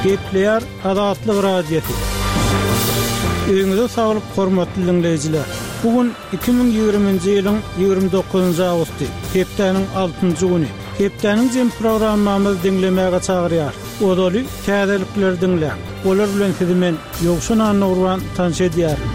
Gepleýär Azatlyk Radiosy. Öýüňize saglyk hormatly diňleýjiler! Bu gün 2020-nji ýylyň 29-njy awgusty, hepdäniň altynjy güni. Hepdäniň jemi programmamyzy diňlemäge çagyrýarys. Ozaly täzelikleri diňläň. Olar bilen sizi men, Ýowşan Annagurban tanyş edýärin.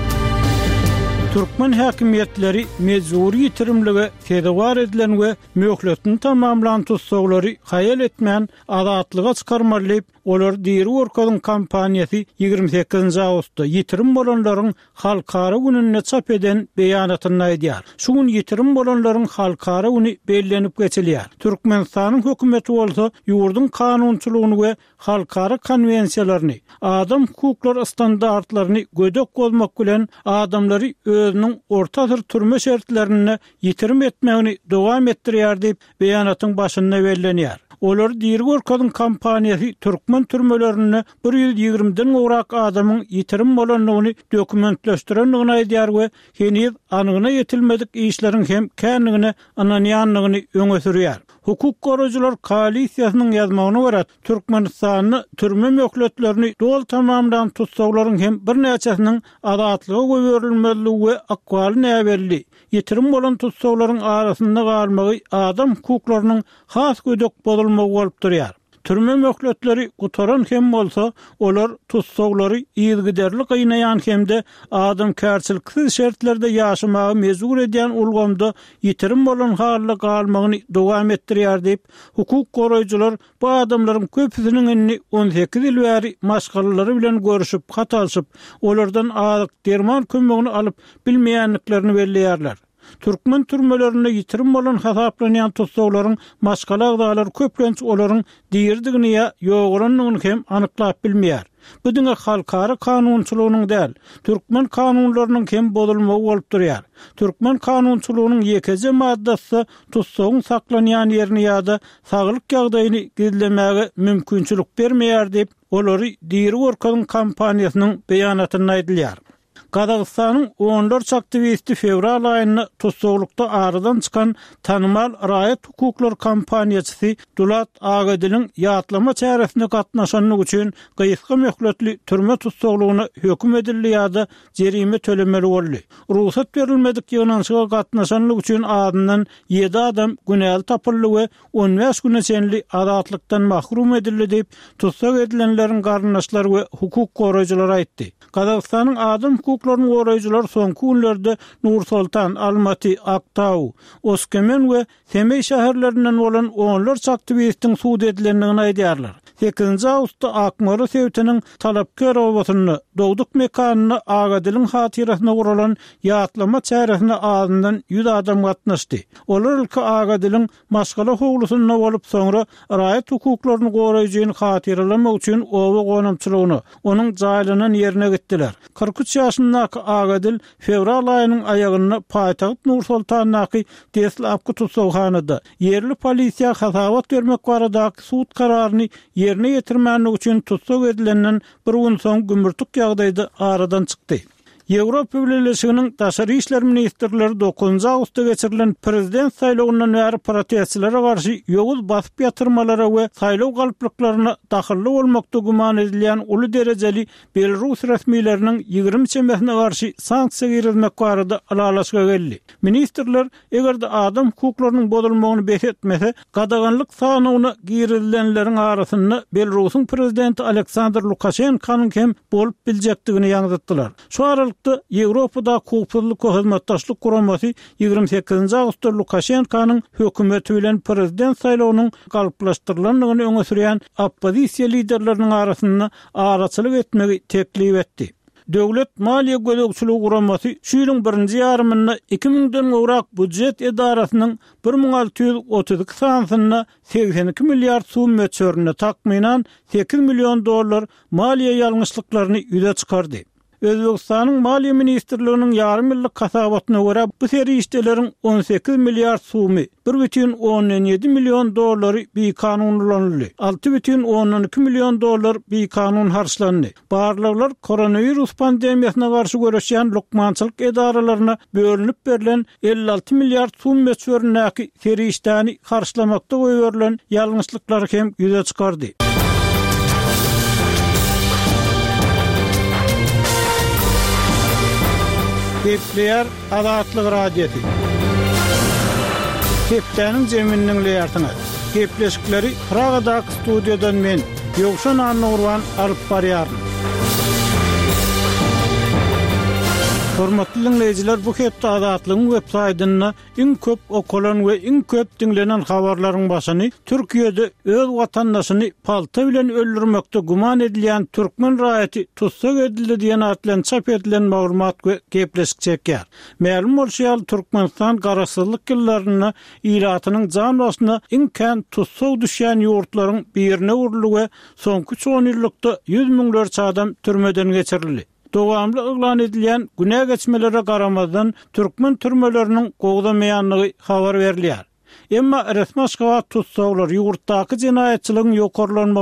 Türkmen häkimiýetleri mejbury ýitirimlige sezewar edilen we möhletini tamamlan tussaglary haýal etmän azatlyga çykarmaly diýip, Olary diri görkeziň kampaniýasy 28-nji awgustda ýitirim bolanlaryň halkara gününde çap eden beýanatynda aýdýar. Şu gün ýitirim bolanlaryň halkara güni bellenip geçilýär. Türkmenistanyň hökümeti bolsa ýurduň kanunçylygyny we halkara konwensiýalaryny, adam hukuklary standartlaryny gödek bozmak bilen adamlary özüniň orta asyr türme şertlerinde ýitirim etmegini dowam etdirýär diýip, beýanatyň başynda bellenýär. Olary diri görkeziň kampaniýasy türkmen türmelerinde bir ýüz ýigrimiden gowrak adamyň ýitirim bolandygyny dokumentleşdirendigini aýdýar we heniz anygyna ýetilmedik işleriň hem kändigine ynanýandygyny öňe sürýär. Hukuk goraýjylar koalisiýasynyň ýazmagyna görä, Türkmenistanda türme möhletlerini doly tamamlan tussaglaryň hem birnäçesiniň azatlyga goýberilmezligi we ykbaly näbelli, ýitirim bolan tussaglaryň arasynda galmagy adam hukuklarynyň has gödek bozulmagy bolup durýar. Türme möhletleri gutaran hem bolsa, olar tussaglary yzygiderli gynaýan hem-de adamkärçiliksiz şertlerde ýaşamaga mejbur edýän ulgamda ýitirim bolan halda galmagyny dowam etdirýär diýip, hukuk goraýjylar bu adamlaryň köpüsiniň indi 18 ýyl bäri maşgalalary bilen görüşip, hat alşyp, olardan azyk, derman kömegini alyp bilmeýändiklerini belleýärler. Türkmen türmelerinde ýitirim bolan hasaplanýan tussaglaryň maşgala agzalary köplenç olaryň diridigini ýa ýogalandygyny hem anyklap bilmeýär. Bu diňe halkara kanunçylygynyň däl, türkmen kanunlarynyň hem bozulmagy bolup durýar. Türkmen kanunçylygynyň ýekeje maddasy-da tussagyň saklanýan ýerini ýa-da saglyk ýagdaýyny gizlemäge mümkinçilik bermeýär diýip, Olary diri görkeziň kampaniýasynyň beýanatynda aýdylýar. Gazagystanyň onlarça aktiwisti fewral aýynda tussaglykda aradan çykan tanymal raýat hukuklary kampaniýaçysy Dulat Agediliň ýatlama çäresine gatnaşandygy üçin gysga möhletli türme tussaglygyna höküm edildi ýa-da jerime tölemeli boldy. Rugsat berilmedik ýygnanyşyga gatnaşanlygy üçin azyndan ýedi adam günäli tapyldy we 15 güne çenli azatlykdan mahrum edildi diýip, tussag edilenleriň garyndaşlary we hukuk goraýjylar aýtdy. Gazagystanyň adam hukuklaryny goraýjylary soňky günlerde Nur-Soltan, Almaty, Aktau, Oskemen we Semeý şäherlerinden bolan onlarça aktiwistiň sud edilendigini aýdýarlar. Sekizinji awgustda Akmola sebitiniň Talapker obasynda, dogduk mekanynda Agadiliň hatyrasyna guralan ýatlama çäresine azyndan ýüz adam gatnaşdy. Olar ilki Agadiliň maşgala howlusynda bolup, soňra raýat hukuklaryny goraýjyny hatyralamak üçin oba gonamçylygyna, onuň jaýlanan ýerine gitdiler. 43 ýaşyndaky Agadil fewral aýynyň aýagynda paýtagt Nur-Sultandaky deslapky tussaghanada, ýerli polisiýa hasabat bermek baradaky sud kararyny ýerine ýetirmänligi üçin tussag edilenden bir gün soň gümürtik ýagdaýda aradan çykdy. Ýewropa Bileleşiginiň daşary işler ministrleri dokuzynjy awgustda geçirilen prezident saýlawyndan bäri protestçilere garşy ýowuz basyp ýatyrmalara we saýlaw galplyklaryna dahylly bolmakda güman edilýän uly derejeli belarus resmileriniň 20 çemesine garşy sanksiýa girizmek barada ylalaşyga geldi. Ministrler Eger-de adam hukuklarynyň bozulmagyny bes etmese, gadaganlyk sanawyna girizilenleriň arasynda Belarusyň prezidenti Aleksandr Lukaşenkonyň hem bolup biljekdigini ýaňzytdylar. Şu aralykda, Ýewropadaky Howpsuzlyk we Hyzmatdaşlyk Guramasy 28-nji awgustda Lukaşenkonyň hökümeti bilen prezident saýlawynyň galplaşdyrylandygyny öňe sürýän oppozisiýa liderleriniň arasynda araçylyk etmegi teklip etdi. Döwlet maliýe gözegçiligi guramasy şu ýylyň birinji ýarymynda iki müňden gowrak býujet edarasynyň 1632 sanysynda 82 milliard sum möçberinde, takmynan, 8 million dollar maliýe ýalňyşlyklaryny ýüze çykardy. Özbegistanyň Maliýe ministrliginiň ýarym ýyllyk hasabatyna görä, bu serişdeleriň 18 milliard sumy, bir bütin ondan ýedi million dollary bikanun ulanyldy, alty bütin ondan iki million dollar bikanun harçlandy. Barlaglar koronawirus pandemiýasyna garşy göreşýän lukmançylyk edaralaryna bölünip berlen 56 milliard sum möçberindäki serişdäni harçlamakda goýberilen ýalňyşlyklary hem ýüze çykardy. Gepleýär Azatlyk Radiosy. Hepdäniň jemini diňleýärsiňiz. Gepleşikleri Pragadaky studiýadan men, Ýowşan Annagurban alyp barýaryn. Hormatly diňleýjiler, bu hepde Azatlygyň web saýtynda Iň köp okalan we iň köp diňlenen habarlaryň başyny Türkiýede öz watandaşyny palta bilen öldürmekde güman edilýän türkmen raýaty tussag edildi diýen at bilen çap edilen maglumat we gepleşik çekýär. Mälim bolşy ýaly, Türkmenistan garaşsyzlyk ýyllarynda ilatynyň jan başyna iň kän tussag düşýän ýurtlaryň birine öwrüldi we soňky üç onýyllykda ýüz müňlerçe adam türmeden geçirildi. Dowamly yglan edilýän günä geçmelere garamazdan, türkmen türmeleriniň gowzamaýandygy habar berilýär. Emma resmi Aşgabat tussaglar ýurtdaky jenaýatçylygyň ýokarlanmagynyň.